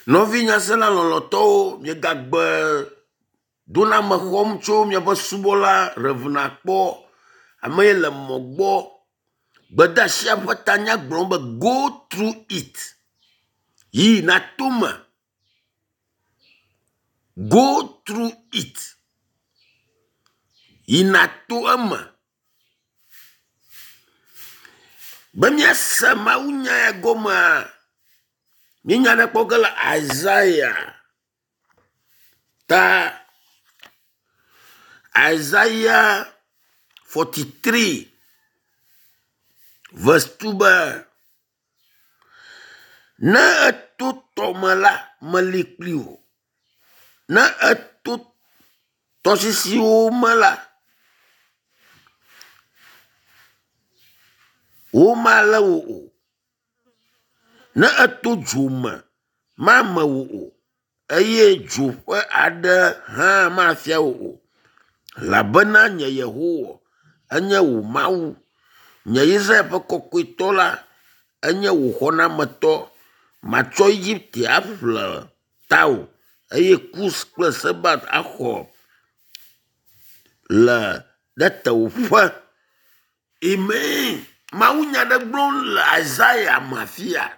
Nɔvi nyasela lɔlɔtɔwo, miegagbe doname xɔm tso miaƒe subɔla Rev. Ame yi le mɔ gbɔ. Gbedeasia ƒe tanya gblɔ be go through it. Yi nato eme. Go through it. Yi nato eme. Be míase mawunya ya gɔmea, míenya ɖe kpɔ ge le Isaiah ta Isaiah 43 verse 2 be ne eto tɔme la meli kpli wò. Ne eto tɔsisiwo me la, womalé wò o. Ne eto dzo me, mame wò o eye dzo ƒe aɖe hã mafia wò o. Elabena nye Yehowa enye wò Mawu, nye Israel ƒe kɔkɔetɔ la enye wò xɔnametɔ. Matsɔ Egipte aƒle tawò eye Kus kple Sebat axɔ le ɖe tewòƒe. Amen. Mawunya ɖe gblɔm le Isaiah me afia.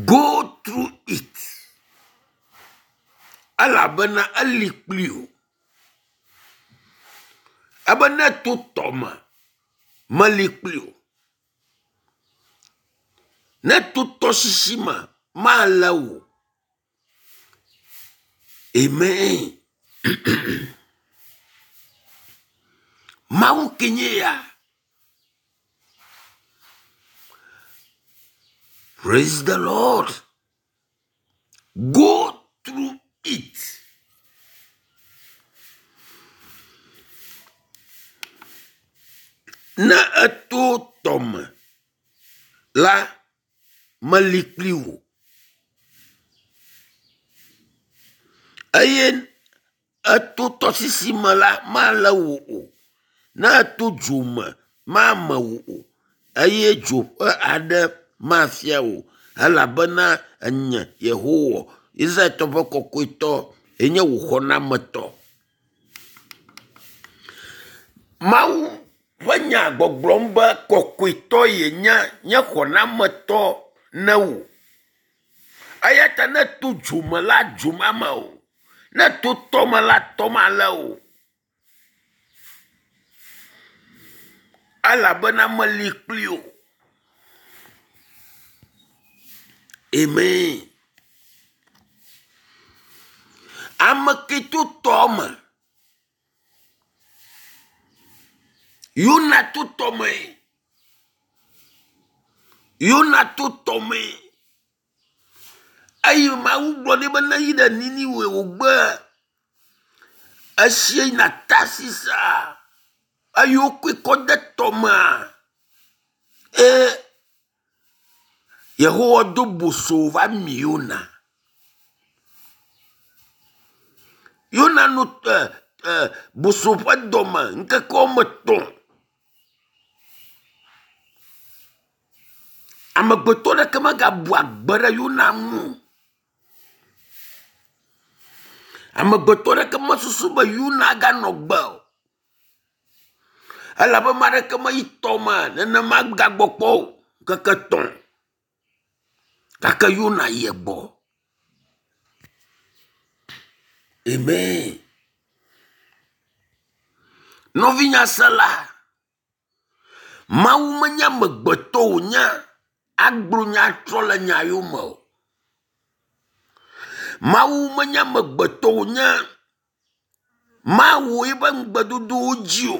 Go through it. Elabena eli kpli wò. Ebe ne to tɔme, meli kpli wò. Ne to tɔsisi me, malé wò. Amen. Mawu ke nye ya. Praise the Lord. Go through it. Ne eto tɔme la, meli kpli wò. Eye eto tɔsisi me la, malé wò o. Ne eto dzo me, mame wò o eye dzo ƒe aɖe mafia wò o. Elabena enye Yehowa, Israeltɔ ƒe kɔkɔetɔ yenye wò xɔnametɔ. Mawu ƒe nya gbɔgblɔm be kɔkɔetɔ yenye nye xɔnametɔ ne wò. Eya ta ne to dzo me la, dzo mame o. Ne to tɔ me la, tɔ malé o. Elabena meli kpli wò. Amen. Ame ke to tɔ me. Yona to tɔ me. Yona to tɔ me. Eye Mawu gblɔ nɛ be neyi ɖe Niniwe wògbe. Esie yina Tarsisa eye wokɔe kɔ de tɔmea. Eye Yehowa do boso va mi Yona. Yona no e, e, boso ƒe dɔme ŋkeke woame etɔ̃. Amegbetɔ ɖeke megabu agbe ɖe Yona ŋu o. Amegbetɔ ɖeke mesusu be Yona aganɔ gbe o. Elabe ame aɖeke meyi tɔme nenema gagbɔ kpɔ o ŋkeke etɔ̃. Gake Yona yi egbɔ. Amen. Nɔvinyasela, Mawu menye amegbetɔ wònye agblɔ nya atrɔ le nya yome o. Mawu menye amegbetɔ wònye mawɔ eƒe ŋugbedodowo dzi o.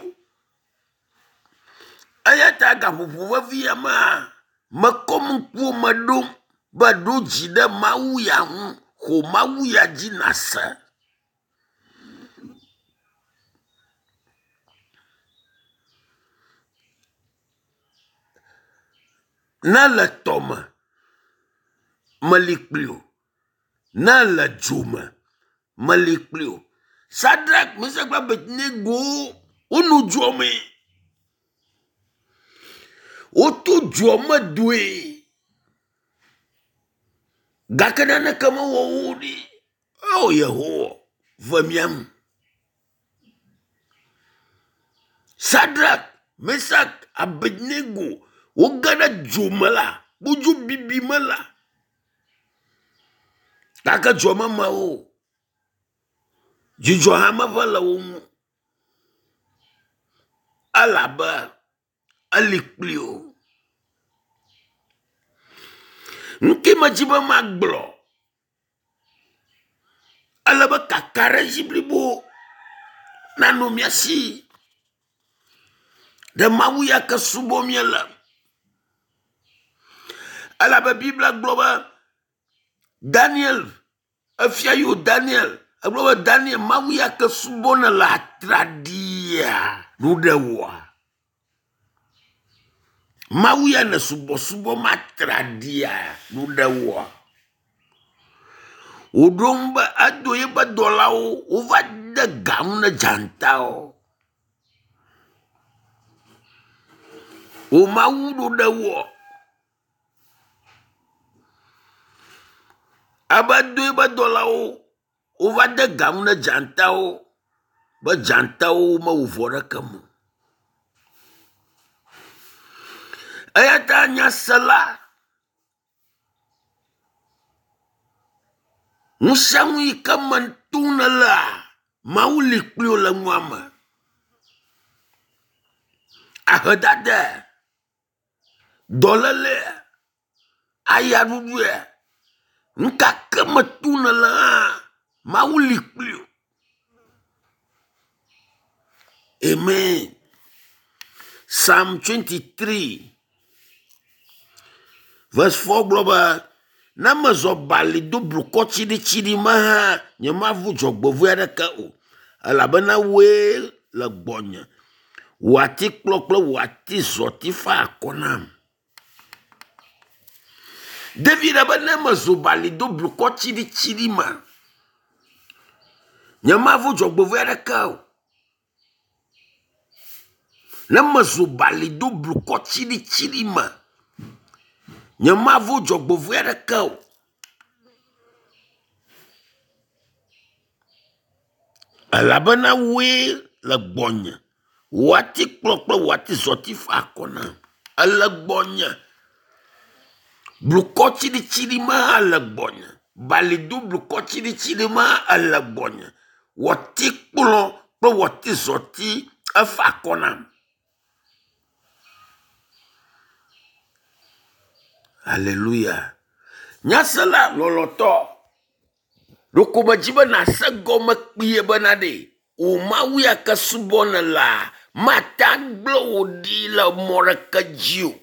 Eya ta gaƒoƒo vevi ya mea, mekɔ ŋkuwo me ɖom be ɖo dzi ɖe Mawu ya ŋu, xɔ Mawu ya dzi nàse. Ne le tɔme, meli kpli wò. Ne le dzo me, meli kpli wò. Sadrak, Mesak kple Abednego wonɔ dzoa me. Woto dzoa me doe. Gake naneke mewɔ wo ɖi. O Yehowa, ve mía nu. Sadrak, Mesak, Abednego woge ɖe dzo me la, kpodzo bibi me la. Gake dzoa meme wo o. Dzidzɔ hã meva le wo ŋu elabe eli kpli wo. Nu ke medzi be magblɔ, ele be kakaɖedzi blibo nanɔ mía si ɖe Mawu ya ke subɔm míele. Elabe Biblia gblɔ be Daniel Efia yi wo Daniel. Egblɔ be Daniel, Mawu ya ke subɔ nèle atraɖiia nu ɖe wòa? Mawu ya ne subɔsubɔ matraɖia nu ɖe wòa? Wòɖo ŋu be edo yeƒe dɔlawo wova de ga ŋu ne dzatawo. Wò Mawu ɖo ɖe woa? Ebe do eƒe dɔlawo wova de ga ŋu ne dzatawo be dzatawo mewɔ vɔ ɖeke me o. Eya ta nyasela, nu sia nu yi ke me tom nelea, Mawu li kpli wò le nua me. Ahedada. Dɔléle, ayaɖuɖue, nu ka ke me tom nèle hã, Mawu li kpli wò. Amen. Psalm 23 verse 4 gblɔ be, ne mezɔ bali do blukɔ tsiɖitsiɖi me hã, nyemavu dzɔgbevɔ̃e aɖeke o, elabena wòe le gbɔnye. Wò atikplɔ kple wò atizɔti fa akɔ nam. David be ne mezu bali do blukɔ tsiɖitsiɖi me, nyemavo dzɔgbevɔ̃e aɖeke o. Ne mezu bali do blukɔ tsiɖitsiɖi me, nyemavo dzɔgbevɔ̃e aɖeke o. Elabena wòe le gbɔnye. Wò atikplɔ kple wò atizɔti fa akɔ nam. Ele gbɔnye. Blukɔ tsiɖitsiɖi ma hã le gbɔnye. Balido blukɔ tsiɖitsiɖi ma ele gbɔnye. Wò atikplɔ kple wò atizɔti efa akɔ nam. Haleluya. Nyasela lɔlɔ̃tɔ. Ɖeko medzi be nàse gɔme kpuie bena ɖe wò Mawu ya ke subɔ nèlea, mate agblẽ wò ɖi le mɔ ɖeke dzi o.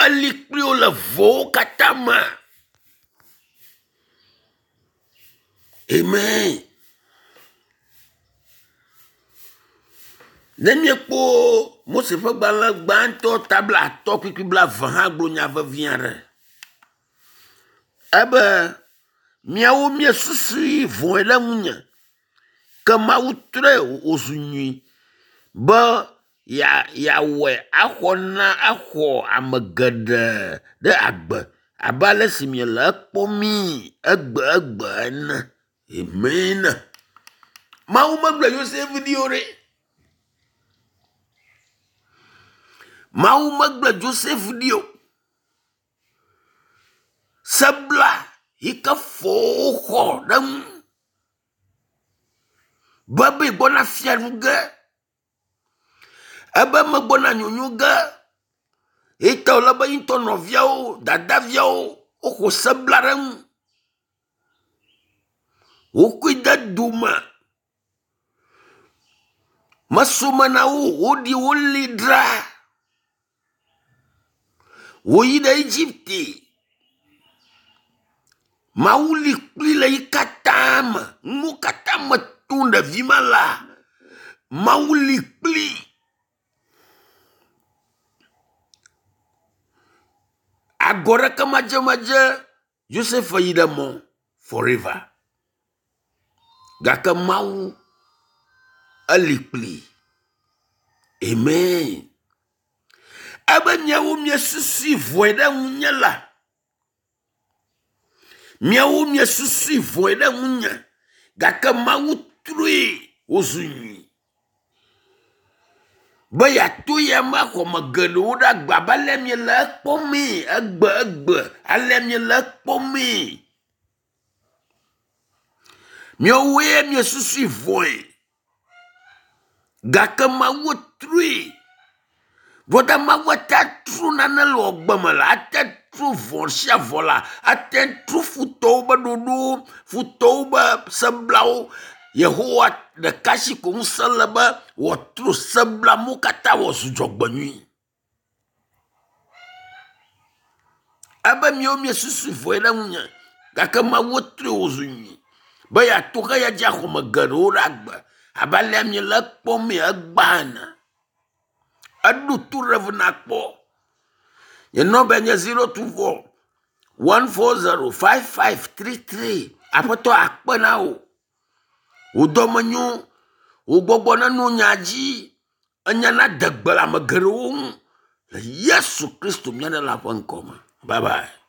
Eli kpli wò le vɔwo katã me. Amen. Ne míekpɔ Mose ƒe gbalẽ gbãtɔ ta blaatɔ̃ kpukpui blaeve hã gblɔ nya vevi aɖe. Ebe, Miawo miesusui vɔ̃e ɖe ŋunye, ke Mawu trɔe wòzu nyui be yeawɔe axɔ na axɔ ame geɖe ɖe agbe abe ale si miele ekpɔmii egbe-egbe ene. Amen. Mawu megblẽ Yosef ɖi o ɖe. Mawu megblẽ Joseph ɖi o. Sebla yi ke fɔwo xɔ ɖe ŋu be be gbɔna fia nu ge, ebe megbɔna nyonyo ge. Eyi ta wòle be ye ŋutɔ nɔviawo, dadaviawo woxɔ sebla ɖe eŋu. Wokɔe de dome. Meso me na wo o, woɖi wo li dzra. Wòyi ɖe Egipte. Mawu li kpli le yi katã me. Nuwo katã me tom ɖevi ma lea, Mawu li kpli. Agɔ ɖeke madzemadze Yosef yi ɖe mɔ forever. Gake Mawu eli kpli. Amen. Ebe miawo miesusui vɔe ɖe ŋunye la. Miawo miesusui vɔ̃e ɖe ŋunye, gake Mawu trɔe wòzu nyui. Be yeato ya me axɔ ame geɖewo ɖe agbe abe alea miele ekpɔmee egbe egbe, alea miele ekpɔmee. Miawoe miesusui vɔ̃e gake Mawu trɔe. Vɔ Mawu ate trɔ nane le wò agbe me la, ate trɔ vɔ̃ sia vɔ̃ la, ate trɔ futɔwo ƒe ɖoɖowo, futɔwo ƒe seblawo. Yehowa ɖeka si ko ŋusẽ le be wòatrɔ seblawo katã wòazu dzɔgbenyui. Ebe miawo miesusu vɔ̃e ɖe ŋunye gake Mawu trɔe wòzu nyui be yeato xeya dzi axɔ ame geɖewo ɖe agbe abe alea miele ekpɔmee egbea ene. Eɖo to ɖe eve nakpɔ. Nye nɔmbae nye 024 140 5533. Aƒetɔ akpe na wò. Wò dɔme nyo. Wò gbɔgbɔ neno nya dzi. Enya nade gbe le ame geɖewo ŋu le Yesu Kristo mía Ɖela ƒe ŋkɔ me. Bye bye.